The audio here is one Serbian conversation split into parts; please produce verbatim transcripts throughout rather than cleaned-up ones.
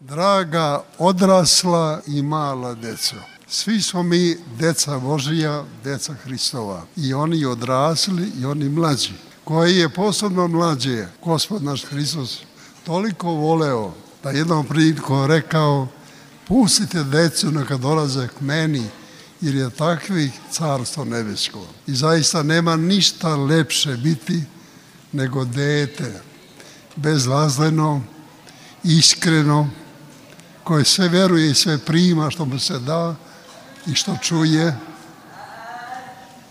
Draga odrasla i mala deco, svi smo mi deca Božija, deca Hristova, i oni odrasli i oni mlađi, koji je posebno mlađe Gospod naš Hristos toliko voleo da jednom prilikom rekao: pustite decu neka dolaze k meni, jer je takvih carstvo nebesko. I zaista nema ništa lepše biti nego dete, bezvazleno, iskreno, koje sve veruje i sve prima što mu se da i što čuje,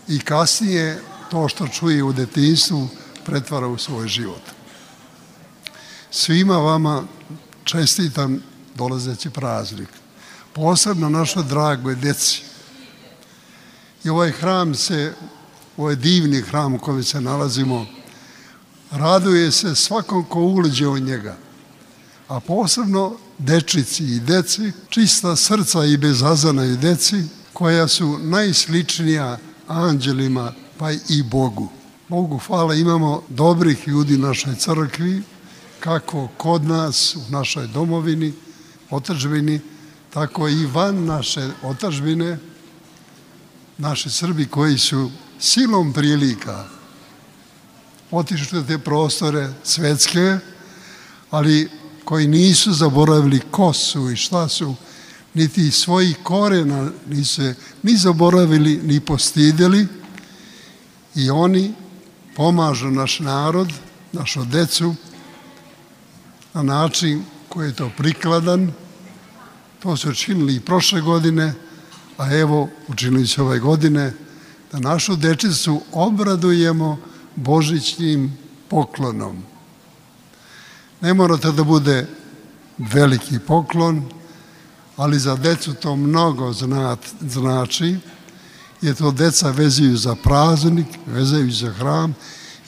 i kasnije to što čuje u detinjstvu pretvara u svoj život. Svima vama čestitam dolazeći praznik, posebno našoj dragoj deci. I ovaj hram se, ovaj divni hram u kojem se nalazimo, raduje se svakom ko uleđe u njega, a posebno dečici i deci, čista srca i bezazana i deci, koja su najsličnija anđelima pa i Bogu. Bogu hvala, imamo dobrih ljudi u našoj crkvi, kako kod nas u našoj domovini, otadžbini, tako i van naše otadžbine, naši Srbi koji su silom prilika otišli u te prostore svetske, ali koji nisu zaboravili ko su i šta su, niti svojih korena nisu ni zaboravili, ni postideli, i oni pomažu naš narod, našu decu, na način koji je to prikladan. To su učinili i prošle godine, a evo učinili su ove godine, da našu dečicu obradujemo božićnim poklonom. Ne morate da bude veliki poklon, ali za decu to mnogo znači, jer to deca vezuju za praznik, vezuju za hram,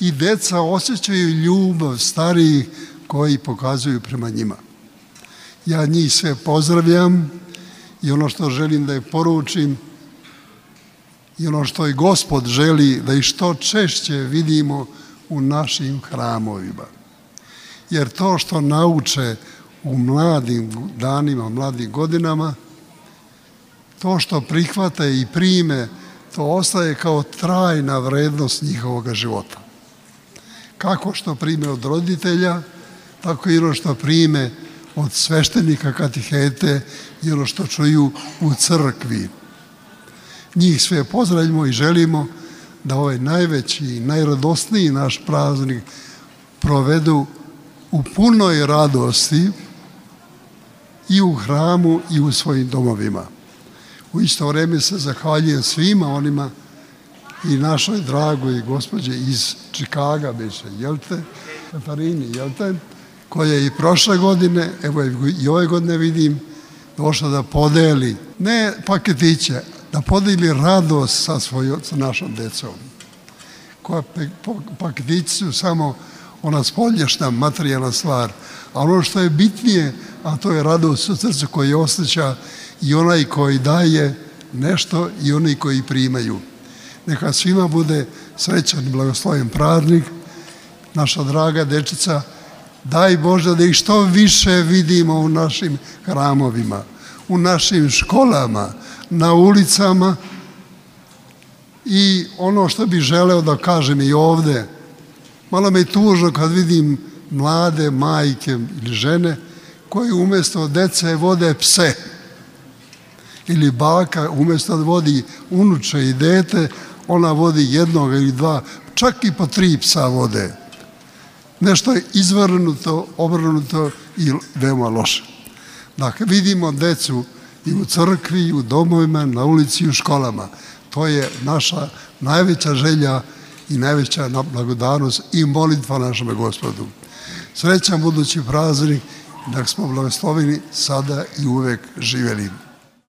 i deca osjećaju ljubav starijih koji pokazuju prema njima. Ja njih sve pozdravljam, i ono što želim da je poručim, i ono što i Gospod želi da i što češće vidimo u našim hramovima. Jer to što nauče u mladim danima, mladim godinama, to što prihvate i prime, to ostaje kao trajna vrednost njihovog života. Kako što prime od roditelja, tako i ono što prime od sveštenika, katihete, i ono što čuju u crkvi. Njih sve pozdravljamo i želimo da ovaj najveći i najradosniji naš praznik provedu u punoj radosti i u hramu i u svojim domovima. U isto vreme se zahvaljujem svima onima i našoj dragoj gospođe iz Čikaga, beše, jel te, Katarini, jel te, koja je i prošle godine, evo i ove godine vidim, došla da podeli, ne paketiće, da podeli radost sa, svojom, sa našom decom. Koja paketići su samo ona spoljašnja materijalna stvar, a ono što je bitnije, a to je radost u srcu koji osjeća i onaj koji daje nešto i oni koji primaju. Neka svima bude srećan i blagosloven praznik. Naša draga dečica, daj Bože da ih što više vidimo u našim hramovima, u našim školama, na ulicama. I ono što bih želeo da kažem i ovde, malo me je tužno kad vidim mlade majke ili žene koje umjesto dece vode pse, ili baka umjesto da vodi unuče i dete, ona vodi jednog ili dva, čak i po tri psa vode. Nešto je izvrnuto, obrnuto i veoma loše. Dakle, vidimo decu i u crkvi, i u domovima, na ulici i u školama. To je naša najveća želja i najveća blagodarnost i molitva našem Gospodu. Srećan budući praznik, da smo blagosloveni sada i uvek živeli.